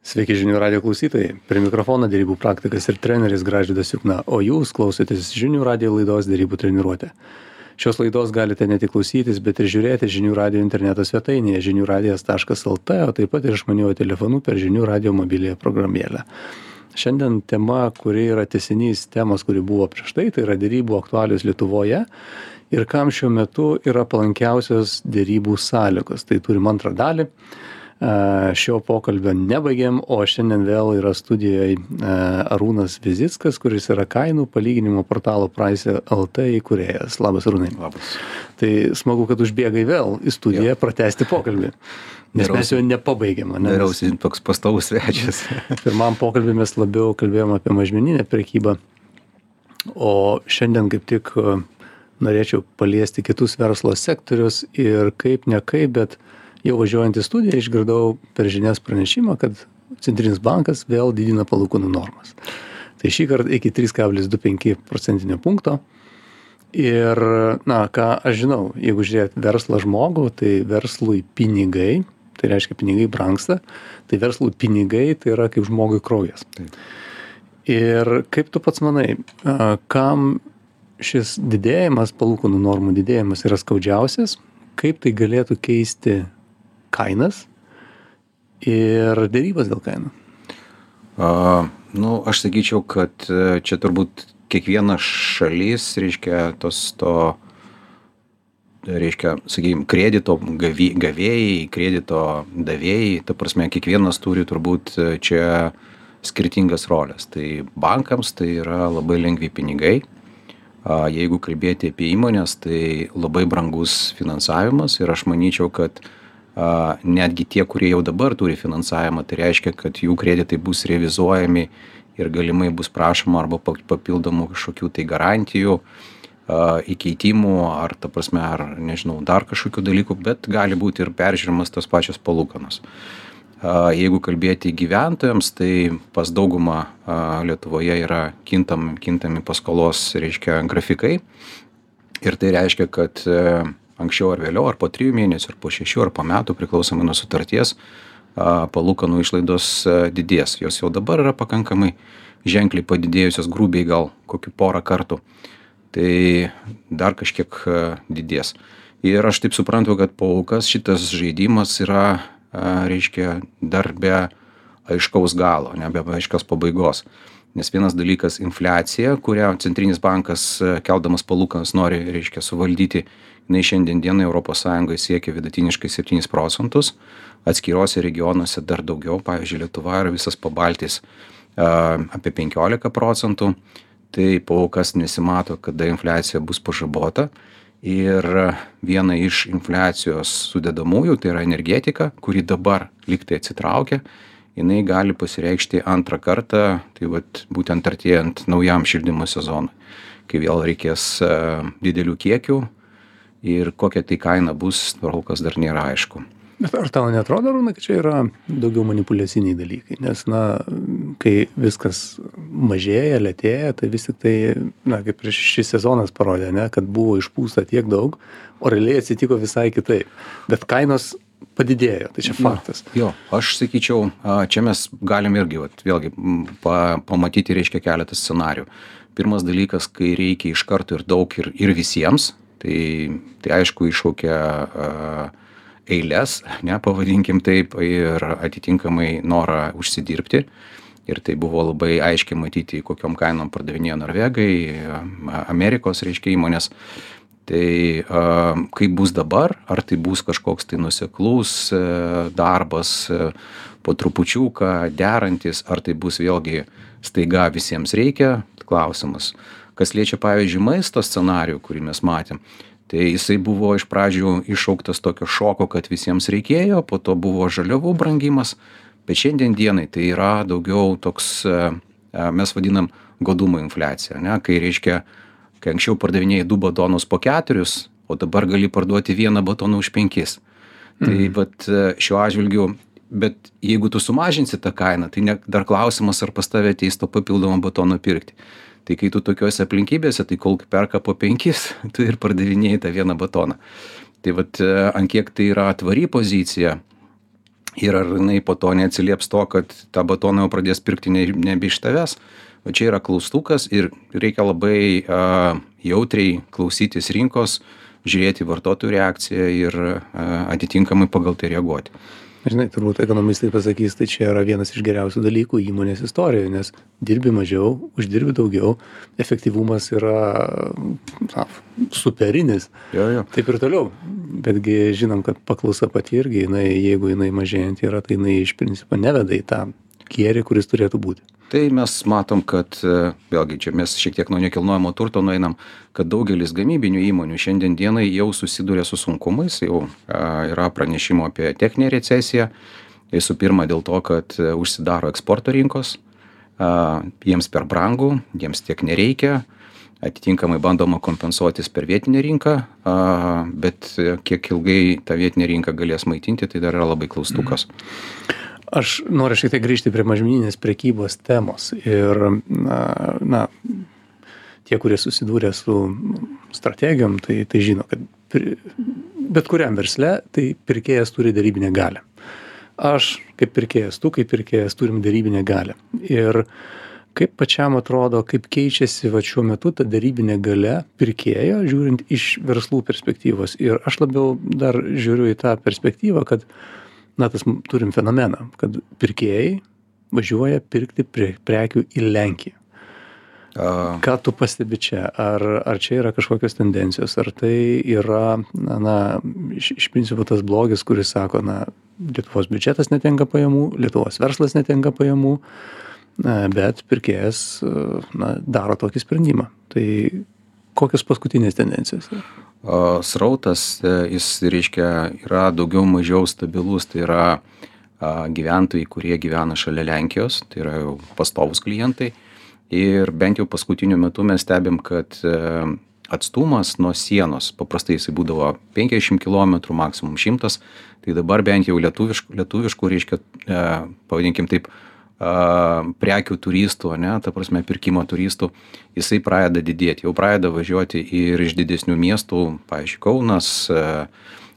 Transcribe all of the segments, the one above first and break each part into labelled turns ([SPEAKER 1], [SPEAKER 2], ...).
[SPEAKER 1] Sveiki žinių radio klausytojai. Prie mikrofono derybų praktikas ir treneris Gražvydas Jukna, o jūs klausotės žinių radio laidos derybų treniruotė. Šios laidos galite ne tik klausytis, bet ir žiūrėti žinių radio interneto svetainėje žiniųradijas.lt, o taip pat ir išmaniuoju telefonu per žinių radio mobiliąją programėlę. Šiandien tema, kuri yra tęsinys temos, kuri buvo prieš tai yra derybų aktualijos Lietuvoje ir kam šiuo metu yra palankiausios derybų sąlygos. Tai turim antrą dalį. Šio pokalbio nebaigėm, o šiandien vėl yra studijoje Arūnas Vizickas, kuris yra kainų palyginimo portalo Price.lt įkūrėjas. Labas, Arūnai.
[SPEAKER 2] Labas.
[SPEAKER 1] Tai smagu, kad užbėgai vėl į studiją pratęsti pokalbį, nes mes jo nepabaigėm.
[SPEAKER 2] Dariausi toks pastovus svečias.
[SPEAKER 1] Pirmam pokalbį mes labiau kalbėjom apie mažmeninę prekybą, o šiandien kaip tik norėčiau paliesti kitus verslo sektorius ir kaip ne kaip, bet jau važiuojant į studiją išgirdau per žinias pranešimą, kad Centrinis bankas vėl didina palūkanų normas. Tai šį kartą iki 3,25 procentinio punkto. Ir, ką aš žinau, jeigu žiūrėt verslą žmogų, tai verslui pinigai, tai reiškia pinigai brangsta, tai verslui pinigai tai yra kaip žmogui kraujas.
[SPEAKER 2] Taip.
[SPEAKER 1] Ir kaip tu pats manai, kam šis didėjimas, palūkanų normų didėjimas yra skaudžiausias, kaip tai galėtų keisti kainas ir derybas dėl kainų?
[SPEAKER 2] Aš sakyčiau, kad čia turbūt kiekviena šalis, kredito gavėjai, kredito davėjai, ta prasme, kiekvienas turi turbūt čia skirtingas rolės. Tai bankams tai yra labai lengvi pinigai. Jeigu kalbėti apie įmonės, tai labai brangus finansavimas ir aš manyčiau, kad netgi tie, kurie jau dabar turi finansavimą, tai reiškia, kad jų kreditai bus revizuojami ir galimai bus prašoma arba papildomų kažkokių tai garantijų, įkeitimų ar, ta prasme, ar nežinau, dar kažkokių dalykų, bet gali būti ir peržiūrimas tos pačios palūkanos. Jeigu kalbėti gyventojams, tai pas daugumą Lietuvoje yra kintami paskolos, grafikai. Ir tai reiškia, kad anksčiau ar vėliau, ar po 3 mėnesių, ar po 6, ar po metų, priklausomai nuo sutarties, palūkanų išlaidos didės. Jos jau dabar yra pakankamai ženkliai padidėjusios, grubiai gal kokių porą kartų. Tai dar kažkiek didės. Ir aš taip suprantu, kad kol šitas žaidimas yra dar be aiškaus galo, ne be aiškios pabaigos. Nes vienas dalykas infliacija, kurią Centrinis bankas keldamas palūkanas nori, suvaldyti, jinai šiandien dienai Europos Sąjungoje siekia vidutiniškai 7 procentus, atskiruose regionuose dar daugiau, pavyzdžiui, Lietuva ir visas Pabaltijs apie 15 procentų, tai kol kas nesimato, kada infliacija bus pažabota. Ir viena iš infliacijos sudedamųjų, tai yra energetika, kuri dabar lygtai atsitraukia, jinai gali pasireikšti antrą kartą, tai būtent artėjant naujam šildymo sezonui, kai vėl reikės didelių kiekių ir kokia tai kaina bus, kol kas dar nėra aišku.
[SPEAKER 1] Bet ar tau neatrodo, Arūnai, kad čia yra daugiau manipuliaciniai dalykai? Nes, kai viskas mažėja, lėtėja, tai vis tik tai, kaip prieš šis sezonas parodė, kad buvo išpūsta tiek daug, o realiai atsitiko visai kitaip. Bet kainos padidėjo, tai čia faktas.
[SPEAKER 2] Jo, aš sakyčiau, čia mes galim irgi, vėlgi, pamatyti, keletą scenarių. Pirmas dalykas, kai reikia iš karto ir daug ir visiems, tai aišku iššaukia eilės, pavadinkim taip, ir atitinkamai norą užsidirbti. Ir tai buvo labai aiškiai matyti, kokiom kainom pardavinėjo Norvegai, Amerikos, įmonės. Tai kaip bus dabar, ar tai bus kažkoks tai nuoseklus darbas, po trupučiuką derantis, ar tai bus vėlgi staiga visiems reikia, klausimas. Kas liečia, pavyzdžiui, maisto scenarijų, kurį mes matėm, tai jisai buvo iš pradžių iššauktas tokio šoko, kad visiems reikėjo, po to buvo žaliavų brangimas, bet šiandien dienai tai yra daugiau toks, mes vadinam godumo infliacija, kai anksčiau pardavinėjai 2 batonus po 4, o dabar gali parduoti 1 batoną už 5. Tai šiuo atžvilgiu, bet jeigu tu sumažinsi tą kainą, tai dar klausimas, ar pas tave ateis to papildomą batono pirkti. Tai kai tu tokiuose aplinkybėse, tai kol perka po 5, tu ir pardavinėjai tą 1 batoną. Tai ant kiek tai yra tvari pozicija ir ar jinai po to neatsilieps to, kad tą batoną jau pradės pirkti nebe iš tavęs. O čia yra klaustukas ir reikia labai jautriai klausytis rinkos, žiūrėti vartotojų reakciją ir atitinkamai pagal tai reaguoti.
[SPEAKER 1] Žinai, turbūt ekonomistai pasakys, tai čia yra vienas iš geriausių dalykų įmonės istorijoje, nes dirbi mažiau, uždirbi daugiau, efektyvumas yra superinis.
[SPEAKER 2] Jo.
[SPEAKER 1] Taip ir toliau. Betgi žinom, kad paklausa pati irgi, jeigu jinai mažėjant yra, tai jinai iš principo neveda į tą gėrį, kuris turėtų būti.
[SPEAKER 2] Tai mes matom, kad vėlgi čia mes šiek tiek nuo nekilnojamo turto nueinam, kad daugelis gamybinių įmonių šiandien dienai jau susiduria su sunkumais, jau yra pranešimo apie techninę recesiją. Visų pirma dėl to, kad užsidaro eksporto rinkos, jiems per brangu, jiems tiek nereikia, atitinkamai bandoma kompensuotis per vietinę rinką, bet kiek ilgai tą vietinę rinką galės maitinti, tai dar yra labai klaustukas.
[SPEAKER 1] Aš noriu šiek tiek grįžti prie mažmeninės prekybos temos ir tie, kurie susidūrė su strategijom, tai žino, kad bet kuriam versle tai pirkėjas turi derybinę galią. Aš kaip pirkėjas, tu kaip pirkėjas turim derybinę galią. Ir kaip pačiam atrodo, kaip keičiasi šiuo metu ta derybinė galia pirkėjo, žiūrint iš verslų perspektyvos. Ir aš labiau dar žiūriu į tą perspektyvą, kad tas turim fenomeną, kad pirkėjai važiuoja pirkti prekių į Lenkiją. Ką tu pastebi čia? Ar čia yra kažkokios tendencijos? Ar tai yra, iš principo tas blogis, kuris sako, Lietuvos biudžetas netenka pajamų, Lietuvos verslas netenka pajamų, bet pirkėjas daro tokį sprendimą. Tai kokios paskutinės tendencijos yra?
[SPEAKER 2] Srautas, jis reiškia, yra daugiau mažiau stabilus, tai yra gyventojai, kurie gyvena šalia Lenkijos, tai yra jau pastovus klientai. Ir bent jau paskutiniu metu mes stebim, kad atstumas nuo sienos, paprastai jisai būdavo 50 km, maksimum 100, tai dabar bent jau lietuviškų, reiškia, pavadinkim taip, prekių turistų, ta prasme pirkimo turistų, jisai pradeda didėti, jau pradeda važiuoti ir iš didesnių miestų, pavyzdžiui, Kaunas,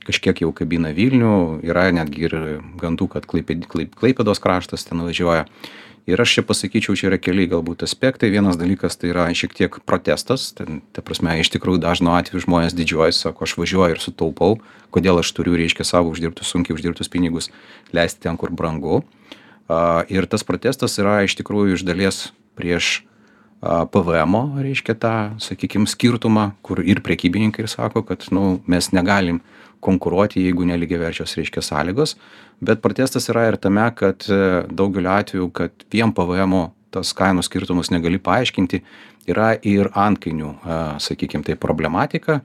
[SPEAKER 2] kažkiek jau kabina Vilnių, yra netgi ir gandų, kad Klaipėdos kraštas ten važiuoja. Ir aš čia pasakyčiau, čia yra keli galbūt aspektai. Vienas dalykas tai yra šiek tiek protestas, ta prasme, iš tikrųjų dažnu atveju žmonės didžiuojasi, sako, aš važiuoju ir sutaupau, kodėl aš turiu, reiškia, savo sunkiai uždirbtus pinigus leisti ten, kur brangu. Ir tas protestas yra iš tikrųjų iš dalies prieš PVM-o, reiškia tą, sakykime, skirtumą, kur ir prekybininkai sako, kad mes negalim konkuruoti, jeigu nelygiaverčios, reiškia, sąlygos. Bet protestas yra ir tame, kad daugeliu atveju, kad vien PVM-o tas kainų skirtumus negali paaiškinti, yra ir antkainių, sakykime, tai problematika.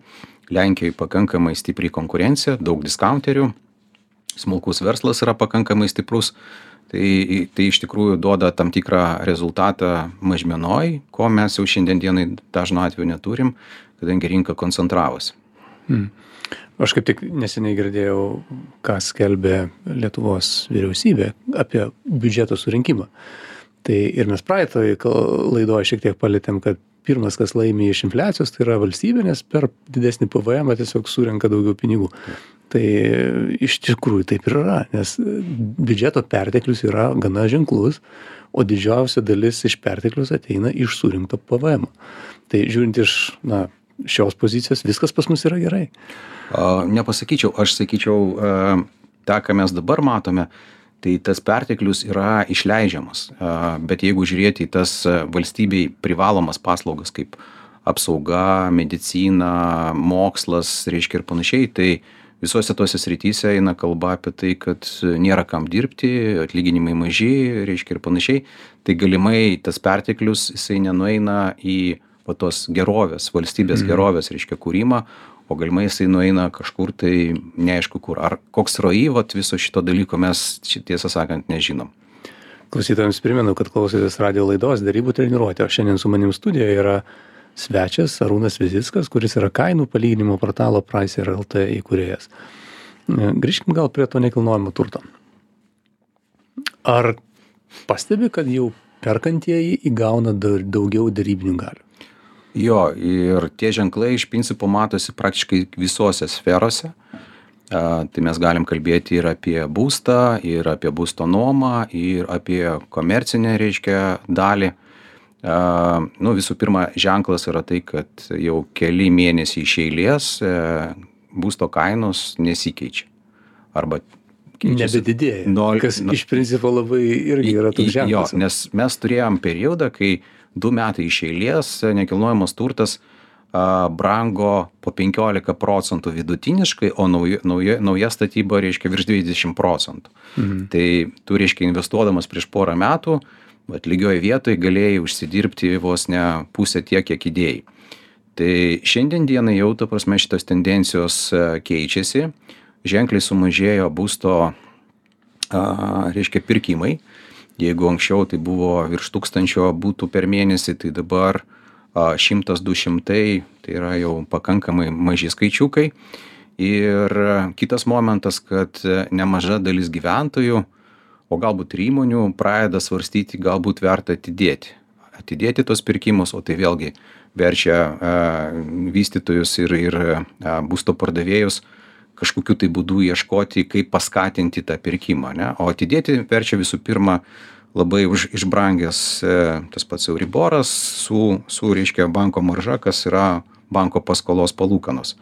[SPEAKER 2] Lenkijoje pakankamai stipri konkurencija, daug discounterių, smulkus verslas yra pakankamai stiprus. Tai iš tikrųjų duoda tam tikrą rezultatą mažmenoj, ko mes jau šiandien dienai dažnu atveju neturim, kadangi rinka koncentravosi.
[SPEAKER 1] Aš kaip tik neseniai girdėjau, ką skelbė Lietuvos vyriausybė apie biudžeto surinkimą. Tai ir mes praeitoje laidoje šiek tiek palėtėm, kad pirmas, kas laimi iš infliacijos, tai yra valstybė, nes per didesnį PVM tiesiog surenka daugiau pinigų. Tai iš tikrųjų taip ir yra, nes biudžeto perteklius yra gana ženklus, o didžiausia dalis iš perteklius ateina iš surinkto PVM. Tai žiūrint iš šios pozicijos, viskas pas mus yra gerai.
[SPEAKER 2] Nepasakyčiau, aš sakyčiau, tą, ką mes dabar matome, tai tas perteklius yra išleidžiamas. Bet jeigu žiūrėti į tas valstybei privalomas paslaugas kaip apsauga, medicina, mokslas, reiškia ir panašiai, tai visose tose srityse eina kalba apie tai, kad nėra kam dirbti, atlyginimai maži, reiškia ir panašiai. Tai galimai tas perteklius, jisai nenueina į tos gerovės, valstybės gerovės, reiškia, kūrimą, o galimai jisai nueina kažkur tai neaišku kur. Ar koks ROI viso šito dalyko mes, tiesą sakant, nežinom.
[SPEAKER 1] Klausytojams primenu, kad klausotės radijo laidos Derybų treniruotė, o šiandien su manim studijoje yra svečias Arūnas Vizickas, kuris yra kainų palyginimo portalo Pricer LT įkūrėjas. Grįžkim gal prie to nekilnojamo turto. Ar pastebi, kad jau perkantieji įgauna daugiau derybinių galių?
[SPEAKER 2] Jo, ir tie ženklai iš principo matosi praktiškai visose sferose. Tai mes galim kalbėti ir apie būstą, ir apie būsto nuomą, ir apie komercinę, reiškia, dalį. Nu, visų pirma, ženklas yra tai, kad jau keli mėnesiai iš eilės būsto kainos nesikeičia. Arba keičiasi.
[SPEAKER 1] Nebedidėja, kas iš principo labai irgi yra toks ženklas.
[SPEAKER 2] Jo, nes mes turėjom periodą, kai 2 metai iš eilės nekilnojamas turtas brango po 15% vidutiniškai, o nauja statyba, reiškia, virš 20%. Tai tu, reiškia, investuodamas prieš porą metų, lygioje vietoje galėjai užsidirbti vos ne pusę tiek, kiek įdėjai. Tai šiandien dienai jau, ta prasme, šitos tendencijos keičiasi, ženkliai sumažėjo būsto, reiškia, pirkimai. Jeigu anksčiau tai buvo virš 1000 būtų per mėnesį, tai dabar 100-200, tai yra jau pakankamai maži skaičiukai. Ir kitas momentas, kad nemaža dalis gyventojų, o galbūt ir įmonių, pradeda svarstyti, galbūt verta atidėti tos pirkimus, o tai vėlgi verčia vystytojus ir būsto pardavėjus kažkokiu tai būdu ieškoti, kaip paskatinti tą pirkimą, ne? O atidėti verčia visų pirma labai išbrangęs tas pats Euriboras su reiškia, banko marža, kas yra banko paskolos palūkanos.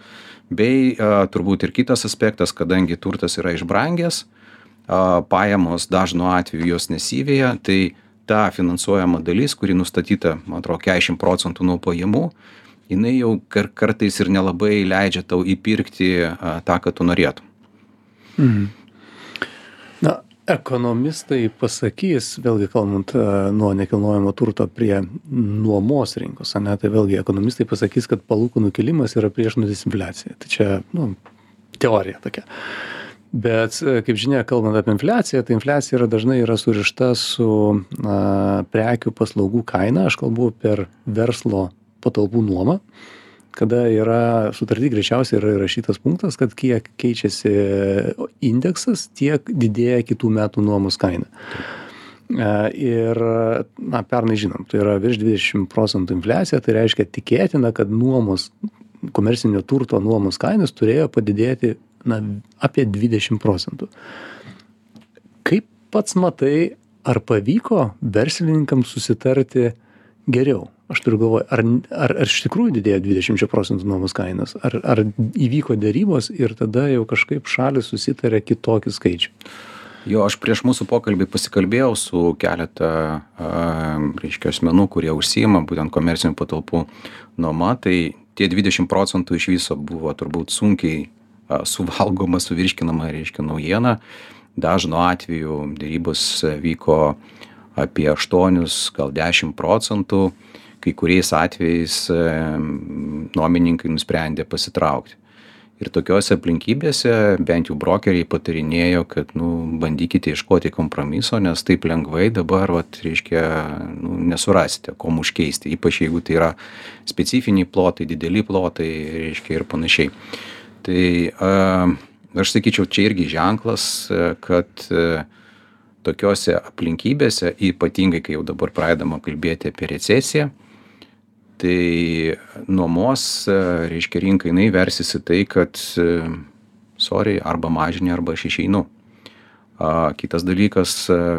[SPEAKER 2] Bei turbūt ir kitas aspektas, kadangi turtas yra išbrangęs, pajamos dažnu atveju jos nesiveja, tai ta finansuojama dalis, kuri nustatyta, man atrodo, 40% nuo pajamų, jinai jau kartais ir nelabai leidžia tau įpirkti tą, ką tu norėtum.
[SPEAKER 1] Na, ekonomistai pasakys, vėlgi kalbant nuo nekilnojamo turto prie nuomos rinkos, ne, tai vėlgi ekonomistai pasakys, kad palūkanų kilimas yra priešnuodis infliacijai. Tai čia, teorija tokia. Bet, kaip žinia, kalbant apie infliaciją, tai infliacija dažnai yra surišta su prekių paslaugų kaina. Aš kalbu per verslo patalpų nuomą, kada yra sutarty greičiausiai yra įrašytas punktas, kad kiek keičiasi indeksas, tiek didėja kitų metų nuomos kaina. Ir, pernai žinom, tai yra virš 20% infliacija, tai reiškia tikėtina, kad komercinio turto nuomos kainos turėjo padidėti apie 20%. Kaip pats matai, ar pavyko verslininkams susitarti geriau? Aš turiu galvoje, ar iš tikrųjų didėjo 20% nuomos kainos, ar įvyko dėrybos ir tada jau kažkaip šalis susitarė kitokį skaičių?
[SPEAKER 2] Jo, aš prieš mūsų pokalbį pasikalbėjau su keletą reiškia asmenų, kurie užsiima būtent komercinių patalpų nuoma, tai tie 20% iš viso buvo turbūt sunkiai suvalgoma, suvirškinama, reiškia, naujiena. Dažnu atveju dėrybos vyko apie 8, gal 10%. Kai kuriais atvejais nuomininkai nusprendė pasitraukti. Ir tokiose aplinkybėse bent jau brokeriai patarinėjo, kad bandykite ieškoti kompromiso, nes taip lengvai dabar, reiškia, nesurasite, kom užkeisti, ypač jeigu tai yra specifiniai plotai, dideli plotai, reiškia, ir panašiai. Tai aš sakyčiau, čia irgi ženklas, kad tokiose aplinkybėse, ypatingai kai jau dabar pradedama kalbėti apie recesiją, tai nuomos, reiškia, rinka jinai versisi tai, kad arba mažini, arba aš išeinu. Kitas dalykas,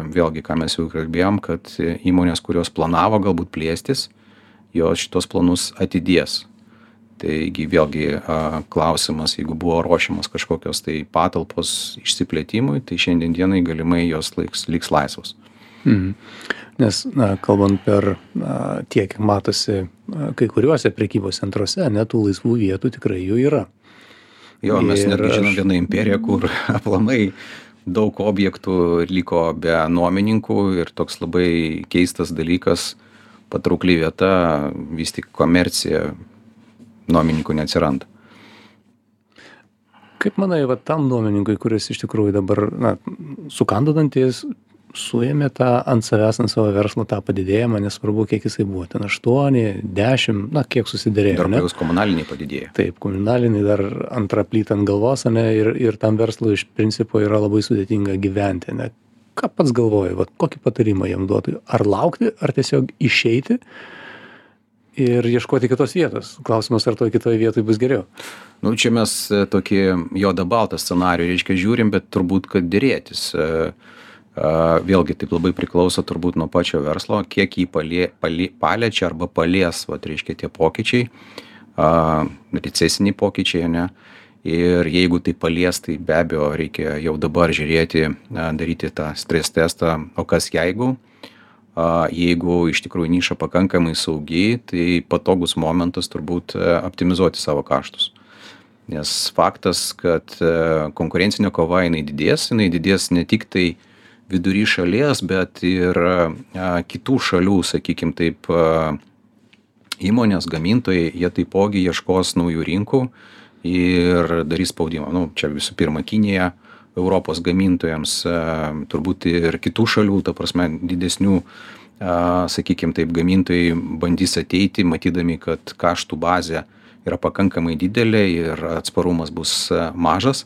[SPEAKER 2] vėlgi, ką mes jau kalbėjom, kad įmonės, kurios planavo galbūt plėstis, jos šitos planus atidės. Taigi vėlgi klausimas, jeigu buvo ruošiamas kažkokios tai patalpos išsiplėtimui, tai šiandien dienai galimai jos liks laisvos.
[SPEAKER 1] Nes, kalbant per tiek, matosi kai kuriuose prekybos centruose, tų laisvų vietų tikrai jų yra.
[SPEAKER 2] Jo, mes netgi žinom vieną imperiją, kur aplamai daug objektų liko be nuomininkų ir toks labai keistas dalykas, patraukli vieta, vis tik komercija, nuomininkų neatsiranda.
[SPEAKER 1] Kaip manai, tam nuomininkui, kuris iš tikrųjų dabar sukando dantis, suėmė ant savo verslo tą padidėjimą, nesvarbu, kiek jisai buvo, ten 8, 10, kiek susiderėjo.
[SPEAKER 2] Dar plius komunaliniai padidėjo.
[SPEAKER 1] Taip, komunaliniai dar antrą plytą ant galvos, ir tam verslui iš principo yra labai sudėtinga gyventi. Ką pats galvoji, kokį patarimą jam duotų? Ar laukti, ar tiesiog išeiti ir ieškoti kitos vietos. Klausimas, ar toj kitoj vietoj bus geriau.
[SPEAKER 2] Nu, čia mes tokį juodą baltą scenarijų, reiškia, žiūrim, bet turbūt, kad dėrėtis. Vėlgi, taip labai priklauso turbūt nuo pačio verslo, kiek jį paliečia arba palies, reiškia, tie pokyčiai, recesiniai pokyčiai, ne? Ir jeigu tai palies, tai be abejo reikia jau dabar žiūrėti, daryti tą stres testą, o kas jeigu iš tikrųjų niša pakankamai saugi, tai patogus momentas turbūt optimizuoti savo kaštus. Nes faktas, kad konkurencinė kova jinai didės ne tik tai vidury šalies, bet ir kitų šalių, sakykim taip, įmonės, gamintojai, jie taipogi ieškos naujų rinkų ir darys spaudimą. Nu, čia visų pirma Kinija, Europos gamintojams, turbūt ir kitų šalių, ta prasme, didesnių, sakykim taip, gamintojai bandys ateiti, matydami, kad kaštų bazė yra pakankamai didelė ir atsparumas bus mažas.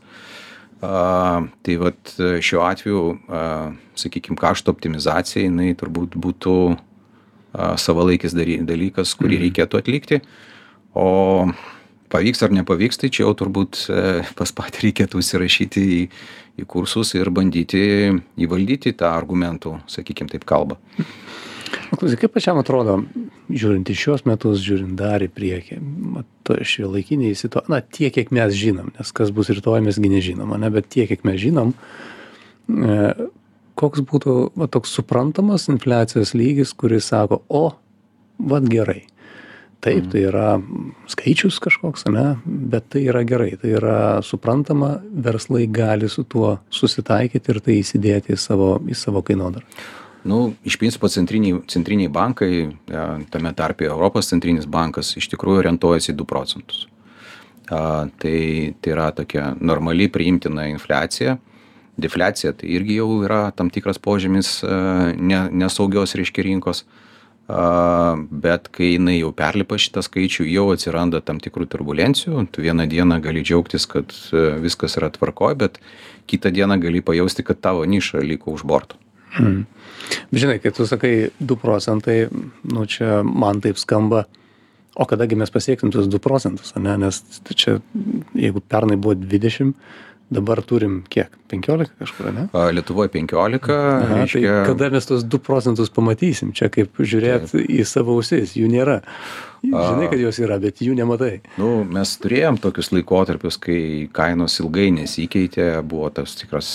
[SPEAKER 2] Tai vat šiuo atveju, sakykim, kaštų optimizacija, jinai turbūt būtų savalaikis dalykas, kurį reikėtų atlikti. O pavyks ar nepavyks, tai čia jau turbūt pas patį reikėtų įsirašyti į kursus ir bandyti įvaldyti tą argumentų, sakykim taip, kalbą.
[SPEAKER 1] Klausyk, kaip pačiam atrodo, žiūrint į šios metus, žiūrint dar į priekį, šiuolaikiniai situacijai, tiek, kiek mes žinom, nes kas bus rytoj mesgi nežinom, bet tiek, kiek mes žinom, koks būtų toks suprantamas infliacijos lygis, kuris sako, gerai. Taip, tai yra skaičius kažkoks, bet tai yra gerai, tai yra suprantama, verslai gali su tuo susitaikyti ir tai įsidėti į savo kainodarą.
[SPEAKER 2] Nu, iš principo centriniai bankai, tame tarpe Europos centrinis bankas, iš tikrųjų orientuojasi 2%. Tai yra tokia normali priimtina infliacija. Defliacija tai irgi jau yra tam tikras požymis nesaugios, reiškia, rinkos. Bet kai jinai jau perlipa šitą skaičių, jau atsiranda tam tikrų turbulencijų. Tu vieną dieną gali džiaugtis, kad viskas yra tvarkoj, bet kitą dieną gali pajausti, kad tavo niša liko už borto.
[SPEAKER 1] Žinai, kai tu sakai 2%, čia man taip skamba, o kadagi mes pasieksim tuos 2%, nes čia, jeigu pernai buvo 20, dabar turim kiek? 15 kažkur, ne?
[SPEAKER 2] Lietuvoje 15.
[SPEAKER 1] Tai kada mes tos 2% pamatysim? Čia kaip žiūrėt į savo ausis, jų nėra. Žinai, kad jos yra, bet jų nematai.
[SPEAKER 2] Nu, mes turėjom tokius laikotarpius, kai kainos ilgai nesikeitė, buvo tas tikras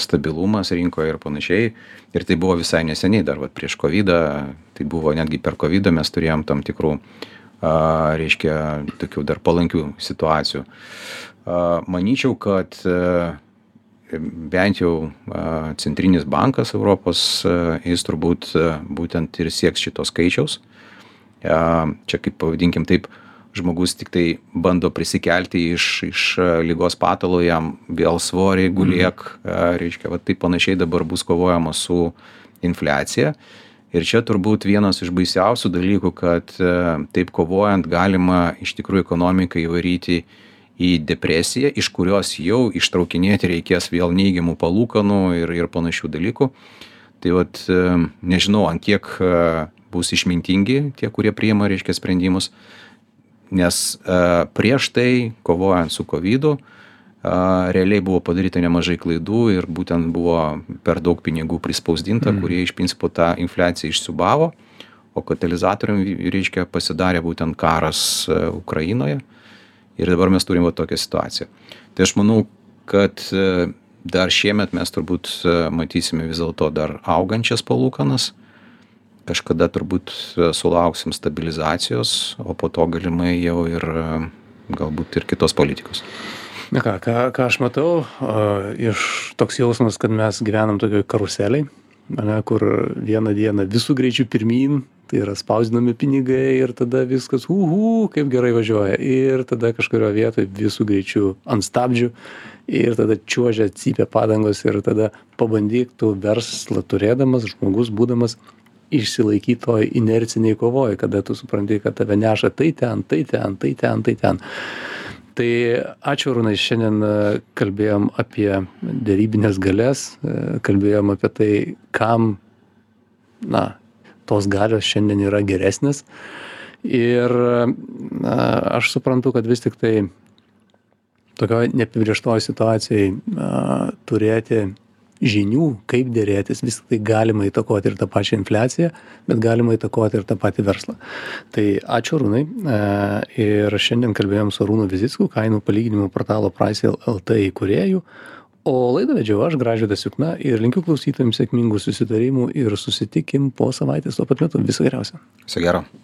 [SPEAKER 2] stabilumas rinkoje ir panašiai. Ir tai buvo visai neseniai, dar prieš COVID-ą, tai buvo netgi per COVID-ą mes turėjom tam tikrų, reiškia, tokių dar palankių situacijų. Manyčiau, kad bent jau centrinis bankas Europos, jis turbūt būtent ir sieks šito skaičiaus. Čia kaip pavadinkim taip, žmogus tik tai bando prisikelti iš ligos patalo, jam vėl svorį guliek, reiškia, taip panašiai dabar bus kovojama su infliacija. Ir čia turbūt vienas iš baisiausių dalykų, kad taip kovojant galima iš tikrųjų ekonomiką įvaryti į depresiją, iš kurios jau ištraukinėti reikės vėl neigiamų palūkanų ir panašių dalykų. Tai nežinau, ant kiek bus išmintingi tie, kurie priima, reiškia, sprendimus, nes prieš tai, kovojant su COVID-u, realiai buvo padaryta nemažai klaidų ir būtent buvo per daug pinigų prispausdinta, kurie iš principo tą infliaciją išsiūbavo, o katalizatorium, reiškia, pasidarė būtent karas Ukrainoje ir dabar mes turim tokią situaciją. Tai aš manau, kad dar šiemet mes turbūt matysime vis dėlto dar augančias palūkanas, kažkada turbūt sulauksim stabilizacijos, o po to galimai jau ir galbūt ir kitos politikos.
[SPEAKER 1] Na ką aš matau, iš toks jausmas, kad mes gyvenam tokioj karuseliai, kur vieną dieną visų greičių pirmyn, tai yra spausdinami pinigai ir tada viskas, kaip gerai važiuoja. Ir tada kažkurio vietoje visų greičių ant stabdžių ir tada čiuožia, cypia padangos ir tada pabandyk tu verslą turėdamas, žmogus būdamas, išsilaikyti toj inerciniai kovoj, kada tu supranti, kad tave neša tai ten. Tai ačiū, Arūnai, šiandien kalbėjom apie derybinės galias, kalbėjom apie tai, kam, tos galios šiandien yra geresnės. Ir aš suprantu, kad vis tik tai tokioje neapibrėžtoje situacijoje turėti žinių, kaip dėrėtis, vis tik tai galima įtakoti ir tą pačią infliaciją, bet galima įtakoti ir tą patį verslą. Tai ačiū Arūnai. Ir šiandien kalbėjom su Arūnu Vizicku, kainų palyginimo portalo Price LT įkūrėju. O laidą vedžiau aš, Gražvydas Jukna, ir linkiu klausytojams sėkmingų susitarimų ir susitikim po savaitės tuo pat metu. Viso geriausio.
[SPEAKER 2] Viso gero.